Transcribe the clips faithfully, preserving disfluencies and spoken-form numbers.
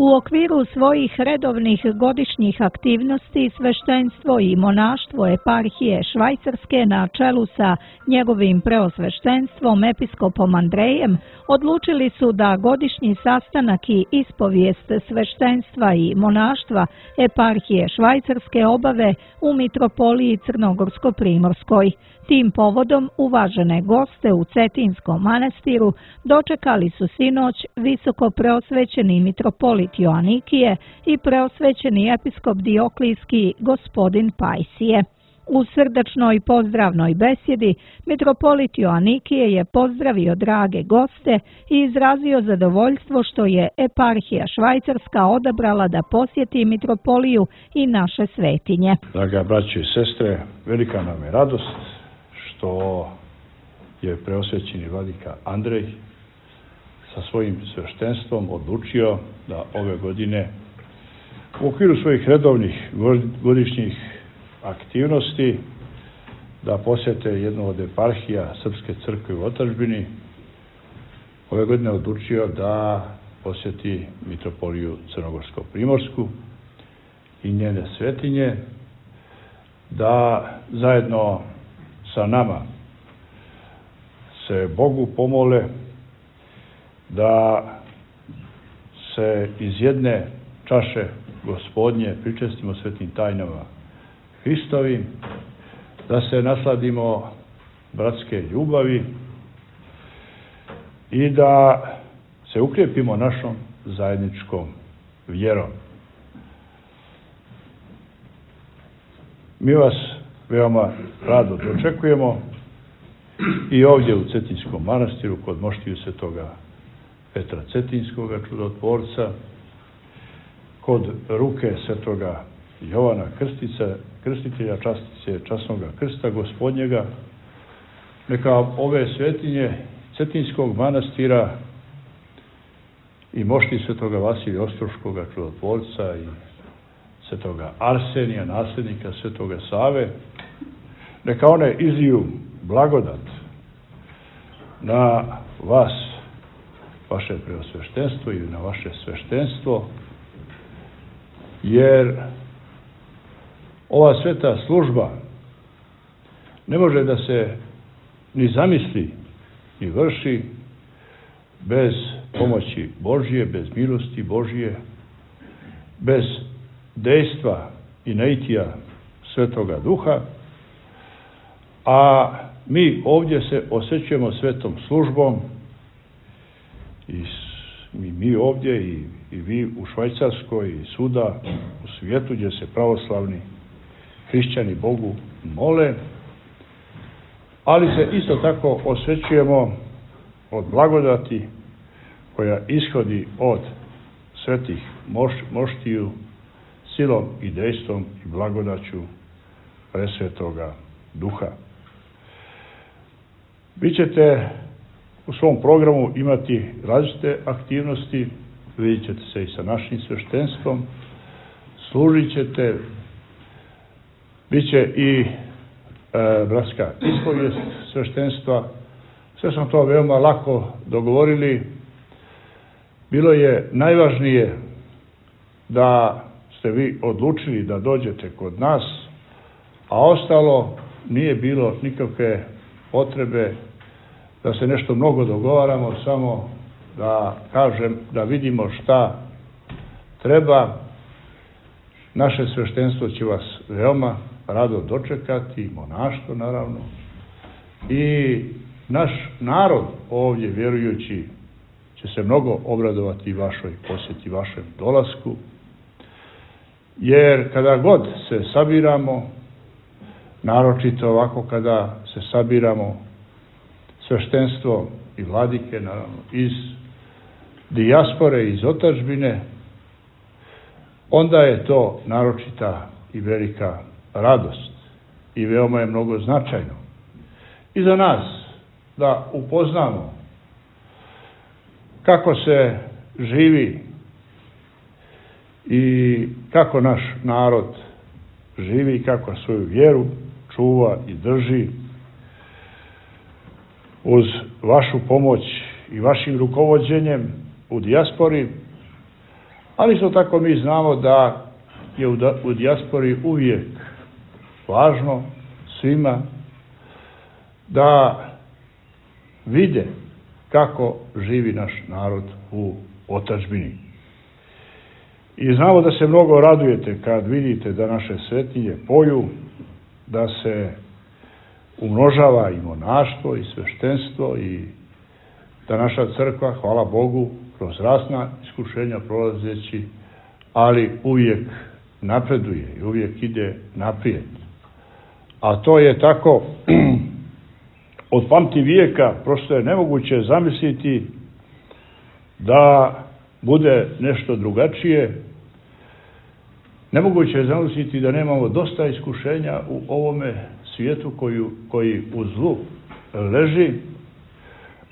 U okviru svojih redovnih godišnjih aktivnosti sveštenstvo i monaštvo eparhije Švajcarske na čelu sa njegovim preosveštenstvom episkopom Andrejem odlučili su da godišnji sastanak i ispovijest sveštenstva i monaštva eparhije Švajcarske obave u mitropoliji Crnogorsko-primorskoj. Tim povodom uvažene goste u Cetinskom manastiru dočekali su sinoć visoko preosvećeni mitropolit Joanikije i preosvećeni episkop Dioklijski gospodin Pajsije. U srdačnoj pozdravnoj besjedi mitropolit Joanikije je pozdravio drage goste i izrazio zadovoljstvo što je eparhija Švajcarska odabrala da posjeti mitropoliju i naše svetinje. Draga braće i sestre, velika nam je radost što je preosvećeni vladika Andrej sa svojim sveštenstvom odlučio da ove godine u okviru svojih redovnih godišnjih aktivnosti da posjete jednu od eparhija Srpske crkve u otadžbini. Ove godine odlučio da posjeti mitropoliju Crnogorsko-primorsku i njene svetinje, da zajedno sa nama se Bogu pomole, da se iz jedne čaše Gospodnje pričestimo svetim tajnama Hristovim, da se nasladimo bratske ljubavi i da se ukrijepimo našom zajedničkom vjerom. Mi vas veoma rado dočekujemo i ovdje u Cetinskom manastiru kod moštiju svetoga Petra Cetinskoga čudotvorca, kod ruke svetoga Jovana Krstića, krstitelja častice časnoga krsta Gospodnjega. Neka ove svetinje Cetinskog manastira i mošti svetoga Vasilija Ostroškoga čudotvorca i svetoga Arsenija, nasljednika svetoga Save, neka one izliju blagodat na vas, vaše preosveštenstvo i na vaše sveštenstvo, jer ova sveta služba ne može da se ni zamisli, ni vrši bez pomoći Božje, bez milosti Božje, bez dejstva i naitija Svetoga Duha, a mi ovdje se osjećujemo svetom službom i mi, mi ovdje i, i vi u Švajcarskoj i svuda u svijetu gdje se pravoslavni hrišćani Bogu mole, ali se isto tako osvećujemo od blagodati koja ishodi od svetih moš, moštiju silom i dejstvom i blagodaću presvetoga Duha. Vi ćete u svom programu imati različite aktivnosti, vidjet ćete se i sa našim sveštenstvom, služit ćete, bit će i e, bratska ispovijest sveštenstva. Sve smo to veoma lako dogovorili. Bilo je najvažnije da ste vi odlučili da dođete kod nas, a ostalo nije bilo nikakve potrebe da se nešto mnogo dogovaramo, samo da kažem, da vidimo šta treba. Naše sveštenstvo će vas veoma rado dočekati, monaštvo naravno, i naš narod ovdje vjerujući će se mnogo obradovati vašoj posjeti, vašem dolasku, jer kada god se sabiramo, naročito ovako kada se sabiramo sveštenstvo i vladike, naravno, iz dijaspore, iz otadžbine, onda je to naročita i velika radost i veoma je mnogo značajno i za nas da upoznamo kako se živi i kako naš narod živi i kako svoju vjeru čuva i drži uz vašu pomoć i vašim rukovođenjem u dijaspori, Ali isto tako mi znamo da je u dijaspori uvijek važno svima da vide kako živi naš narod u otadžbini. I znamo da se mnogo radujete kad vidite da naše svetinje poju, da se umnožava i monaštvo i sveštenstvo i da naša crkva, hvala Bogu, kroz razna iskušenja prolazeći, ali uvijek napreduje i uvijek ide naprijed. A to je tako od pamti vijeka, prosto je nemoguće zamisliti da bude nešto drugačije. Nemoguće je zamisliti da nemamo dosta iskušenja u ovome svijetu koju, koji u zlu leži,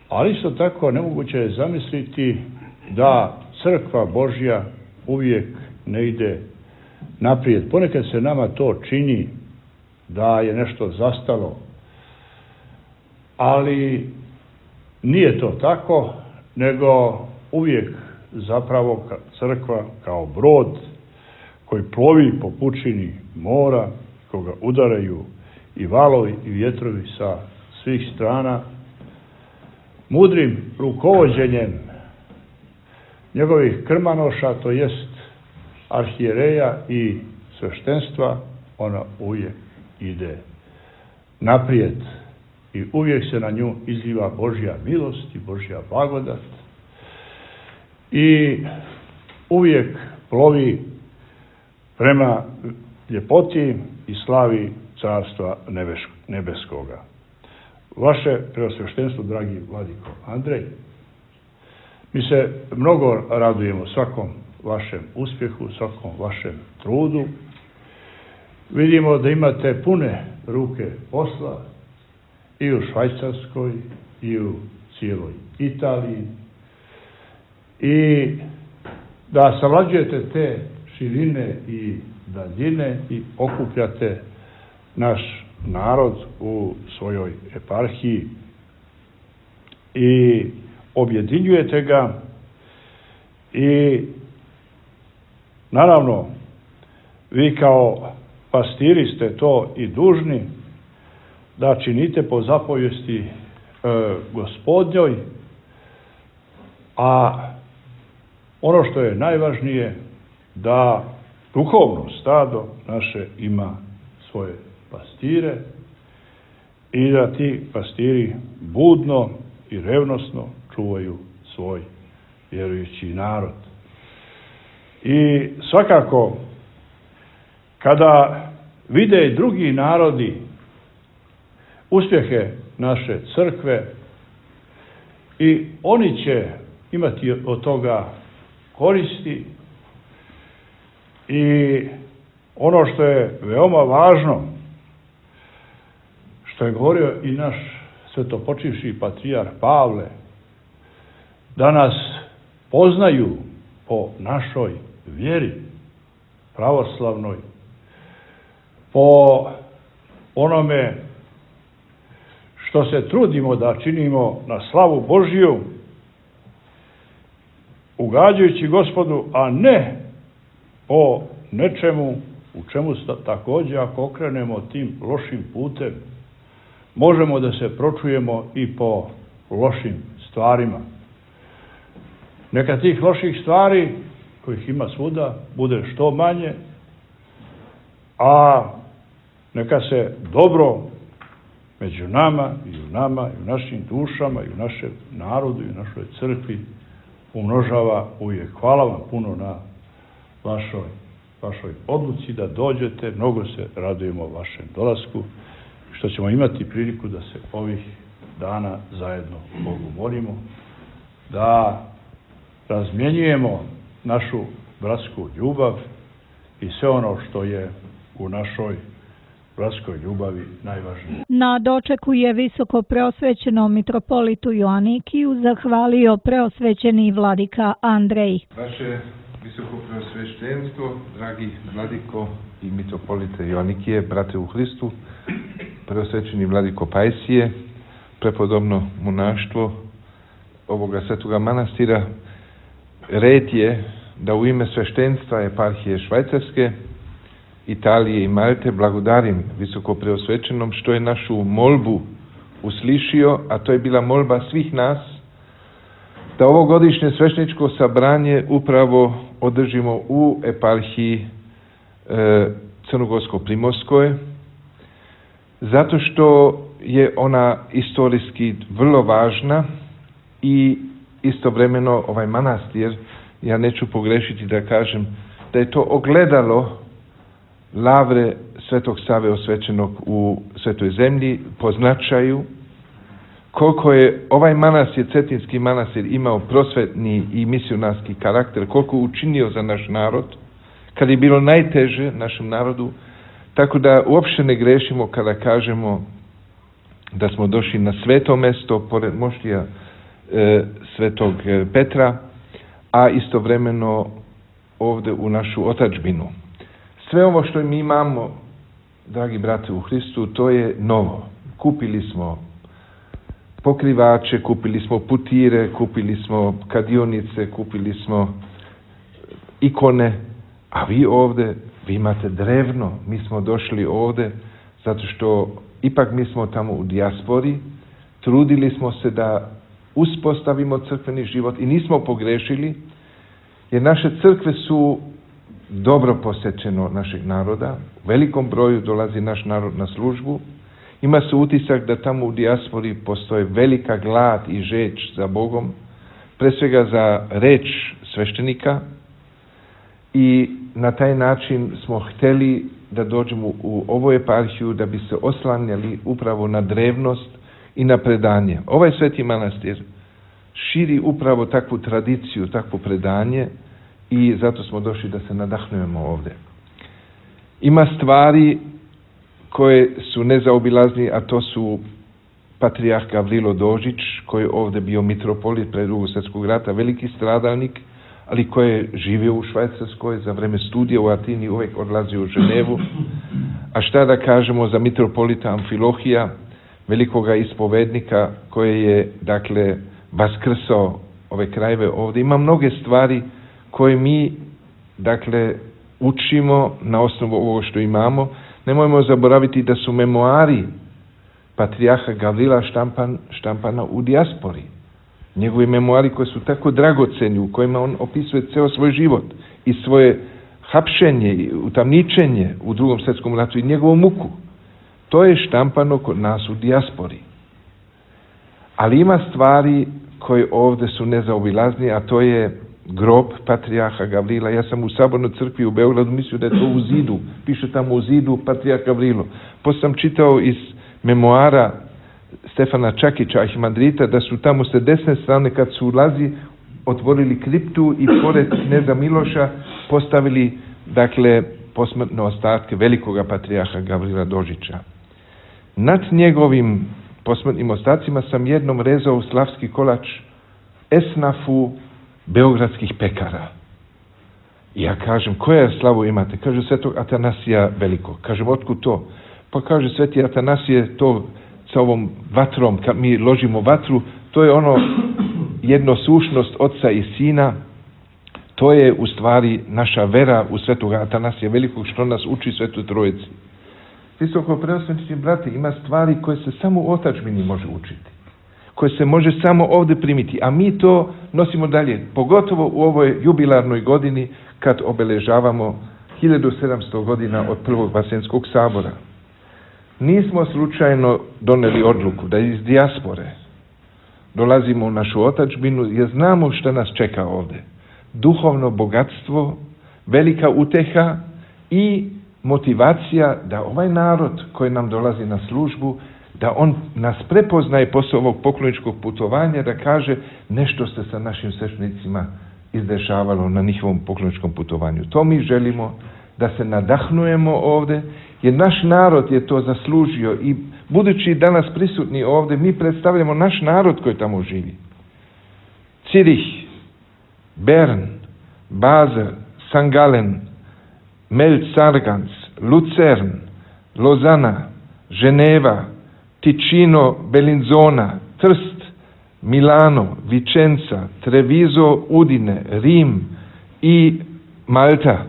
ali isto tako nemoguće je zamisliti da crkva Božja uvijek ne ide naprijed. Ponekad se nama to čini da je nešto zastalo, ali nije to tako, nego uvijek zapravo crkva kao brod koji plovi po pučini mora, koga udaraju i valovi i vjetrovi sa svih strana, mudrim rukovođenjem njegovih krmanoša, to jest arhijereja i sveštenstva, ona uvijek ide naprijed i uvijek se na nju izliva Božja milost i Božja blagodat i uvijek plovi prema ljepoti i slavi Carstva nebeskoga. Vaše preosveštenstvo, dragi vladiko Andrej, mi se mnogo radujemo svakom vašem uspjehu, svakom vašem trudu. Vidimo da imate pune ruke posla i u Švajcarskoj i u cijeloj Italiji i da savlađujete te širine i daljine i okupljate naš narod u svojoj eparhiji i objedinjujete ga i naravno vi kao pastiri ste to i dužni da činite po zapovijesti e, Gospodnjoj, a ono što je najvažnije da duhovno stado naše ima svoje pastire i da ti pastiri budno i revnosno čuvaju svoj vjerujući narod. I svakako kada vide i drugi narodi uspjehe naše crkve i oni će imati od toga koristi i ono što je veoma važno, što je govorio i naš svetopočivši patrijarh Pavle, da nas poznaju po našoj vjeri pravoslavnoj, po onome što se trudimo da činimo na slavu Božju, ugađajući Gospodu, a ne po nečemu u čemu također, ako okrenemo tim lošim putem, možemo da se pročujemo i po lošim stvarima. Neka tih loših stvari, kojih ima svuda, bude što manje, a neka se dobro među nama i u nama i u našim dušama i u našem narodu i u našoj crkvi umnožava uvijek. Hvala vam puno na vašoj, vašoj odluci da dođete. Mnogo se radujemo vašem dolasku, što ćemo imati priliku da se ovih dana zajedno Bogu molimo, da razmjenjujemo našu bratsku ljubav i sve ono što je u našoj bratskoj ljubavi najvažnije. Na dočeku je visoko preosvećenom mitropolitu Joanikiju zahvalio preosvećeni vladika Andrej. Vaše visoko preosveštenstvo, dragi vladiko i mitropolite Joanikije, brate u Hristu, preosvećeni vladiko Pajsije, prepodobno monaštvo ovoga svetoga manastira, red je da u ime sveštenstva eparhije Švajcarske, Italije i Malte blagodarim visoko preosvećenom što je našu molbu uslišio, a to je bila molba svih nas, da ovogodišnje svešteničko sabranje upravo održimo u eparhiji e, Crnogorsko-Primorskoj, zato što je ona istorijski vrlo važna i istovremeno ovaj manastir, ja neću pogrešiti da kažem da je to ogledalo lavre Svetog Save osvećenog u Svetoj zemlji po značaju, koliko je ovaj manastir, Cetinski manastir, imao prosvetni i misionarski karakter, koliko je učinio za naš narod, kad je bilo najteže našem narodu, tako da uopšte ne grešimo kada kažemo da smo došli na sveto mesto, pored moštija e, Svetog Petra, a istovremeno ovde u našu otadžbinu. Sve ovo što mi imamo, dragi brate u Hristu, to je novo. Kupili smo pokrivače, kupili smo putire, kupili smo kadionice, kupili smo ikone, a vi ovde, vi imate drevno. Mi smo došli ovde zato što ipak mi smo tamo u dijaspori, trudili smo se da uspostavimo crkveni život i nismo pogrešili, jer naše crkve su dobro posjećeno našeg naroda, u velikom broju dolazi naš narod na službu, ima se utisak da tamo u dijaspori postoje velika glad i žeđ za Bogom, pre svega za reč sveštenika, i na taj način smo hteli da dođemo u ovu eparhiju da bi se oslanjali upravo na drevnost i na predanje. Ovaj sveti manastir širi upravo takvu tradiciju, takvo predanje, i zato smo došli da se nadahnujemo ovde. Ima stvari koje su nezaobilazni, a to su patrijarh Gavrilo Dožić, koji je ovde bio mitropolit pre Drugog svjetskog rata, veliki stradalnik, ali koji je živio u Švajcarskoj, za vreme studija u Atini uvek odlazio u Ženevu. A šta da kažemo za mitropolita Amfilohija, velikoga ispovednika, koji je, dakle, vaskrsao ove krajeve ovde. Ima mnoge stvari koje mi, dakle, učimo na osnovu ovo što imamo. Nemojmo zaboraviti da su memoari patrijarha Gavrila štampan, štampana u dijaspori. Njegovi memoari koji su tako dragoceni, u kojima on opisuje ceo svoj život i svoje hapšenje, utamničenje u Drugom svjetskom ratu i njegovu muku. To je štampano kod nas u dijaspori. Ali ima stvari koje ovde su nezaobilazni, a to je grob patrijarha Gavrila. Ja sam u Sabornoj crkvi u Beogradu mislio da je to u zidu. Piše tamo u zidu patrijarh Gavrilo. Posle sam čitao iz memoara Stefana Čakića, arhimandrita, da su tamo sa desne strane, kad su ulazi, otvorili kriptu i pored kneza Miloša postavili, dakle, posmrtne ostatke velikoga patrijarha Gavrila Dožića. Nad njegovim posmrtnim ostacima sam jednom rezao slavski kolač esnafu beogradskih pekara. I ja kažem, koja slavu imate? Kaže, svetog Atanasija Velikog. Kažem, otkud to? Pa kaže, sveti Atanasije, to sa ovom vatrom, kad mi ložimo vatru, to je ono jednosušnost oca i sina, to je u stvari naša vera u svetog Atanasija Velikog, što nas uči Svetoj Trojici. Visoko preosvećeni brate, ima stvari koje se samo u otadžbini može učiti, koje se može samo ovde primiti, a mi to nosimo dalje, pogotovo u ovoj jubilarnoj godini kad obeležavamo hiljadu sedamsto godina od Prvog Vaseljenskog sabora. Nismo slučajno doneli odluku da iz dijaspore dolazimo u našu otadžbinu, jer znamo šta nas čeka ovde. Duhovno bogatstvo, velika uteha i motivacija da ovaj narod koji nam dolazi na službu, da on nas prepoznaje posle ovog pokloničkog putovanja, da kaže nešto se sa našim sveštenicima izdešavalo na njihovom pokloničkom putovanju. To mi želimo, da se nadahnujemo ovde, jer naš narod je to zaslužio i budući danas prisutni ovde, mi predstavljamo naš narod koji tamo živi. Cirih, Bern, Basel, Sankt Gallen, Melc-Sargans, Lucern, Lozana, Ženeva, Ticino, Bellinzona, Trst, Milano, Vicenza, Treviso, Udine, Rim, i Malta.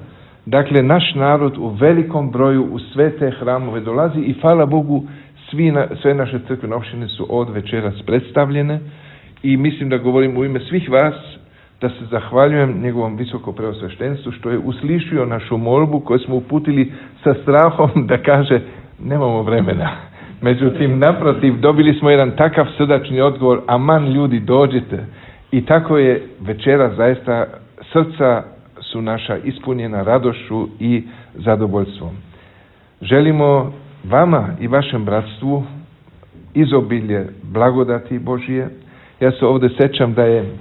Dakle, naš narod u velikom broju u sve te hramove dolazi i hvala Bogu svi na, sve naše crkvene opštine su od večeras predstavljene i mislim da govorim u ime svih vas da se zahvaljujem njegovom visoko preosveštenstvu što je uslišio našu molbu koju smo uputili sa strahom da kaže nemamo vremena. Međutim, naprotiv, dobili smo jedan takav srdačni odgovor, aman ljudi dođite. I tako je večera zaista, srca su naša ispunjena radošću i zadovoljstvom. Želimo vama i vašem bratstvu izobilje blagodati Božije. Ja se ovdje sećam da je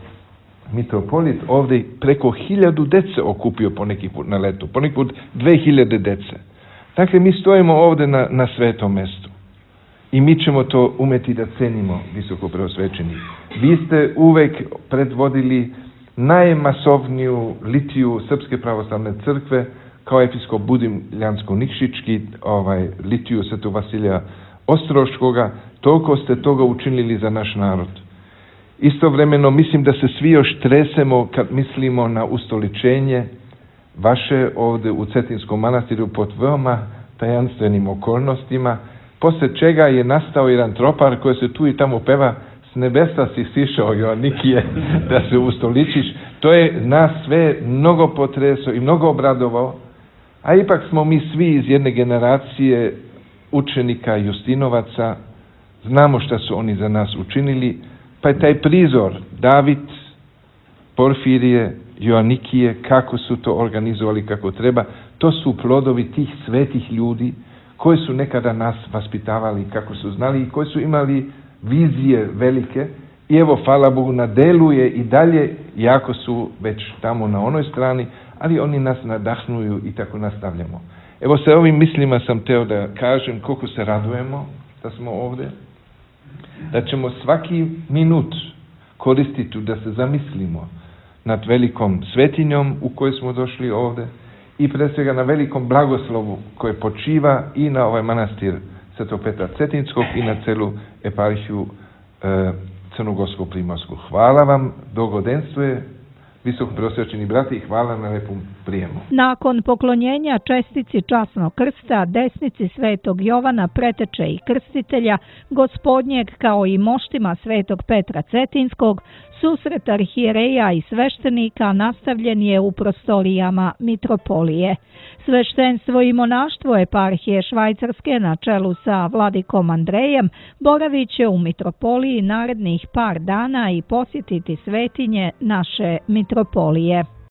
mitropolit ovdje preko hiljadu dece okupio poneki put na letu, poneki put dve hiljade dece. Dakle, mi stojimo ovdje na, na svetom mjestu i mi ćemo to umeti da cenimo, visoko preosvećeni. Vi ste uvek predvodili najmasovniju litiju Srpske pravoslavne crkve kao episkop Budimljansko-Nikšićki, ovaj, litiju Svetog Vasilija Ostroškoga, toliko ste toga učinili za naš narod. Istovremeno mislim da se svi još tresemo kad mislimo na ustoličenje vaše ovdje u Cetinskom manastiru pod veoma tajanstvenim okolnostima, posle čega je nastao jedan tropar koji se tu i tamo peva s nebesa si sišao Joannikije da se ustoličiš. To je nas sve mnogo potresao i mnogo obradovao, a ipak smo mi svi iz jedne generacije učenika Justinovaca, znamo šta su oni za nas učinili, pa je taj prizor David, Porfirije, Joannikije, kako su to organizovali kako treba, to su plodovi tih svetih ljudi koji su nekada nas vaspitavali kako su znali i koji su imali vizije velike i evo, hvala Bogu, na delu je i dalje, jako su već tamo na onoj strani, ali oni nas nadahnuju i tako nastavljamo. Evo, sa ovim mislima sam teo da kažem koliko se radujemo da smo ovdje, da ćemo svaki minut koristiti da se zamislimo nad velikom svetinjom u kojoj smo došli ovdje i pre svega na velikom blagoslovu koje počiva i na ovaj manastir Svetog Petra Cetinskog i na celu eparhiju e, Crnogorskog Primorsku. Hvala vam, dogodenstvuje, visoko preosvećeni brati, i hvala na lepom prijemu. Nakon poklonjenja čestici časnog krsta, desnici Svetog Jovana, preteče i krstitelja Gospodnjeg, kao i moštima Svetog Petra Cetinskog, susret arhijereja i sveštenika nastavljen je u prostorijama mitropolije. Sveštenstvo i monaštvo eparhije Švajcarske na čelu sa vladikom Andrejem boravit će u mitropoliji narednih par dana i posjetiti svetinje naše mitropolije.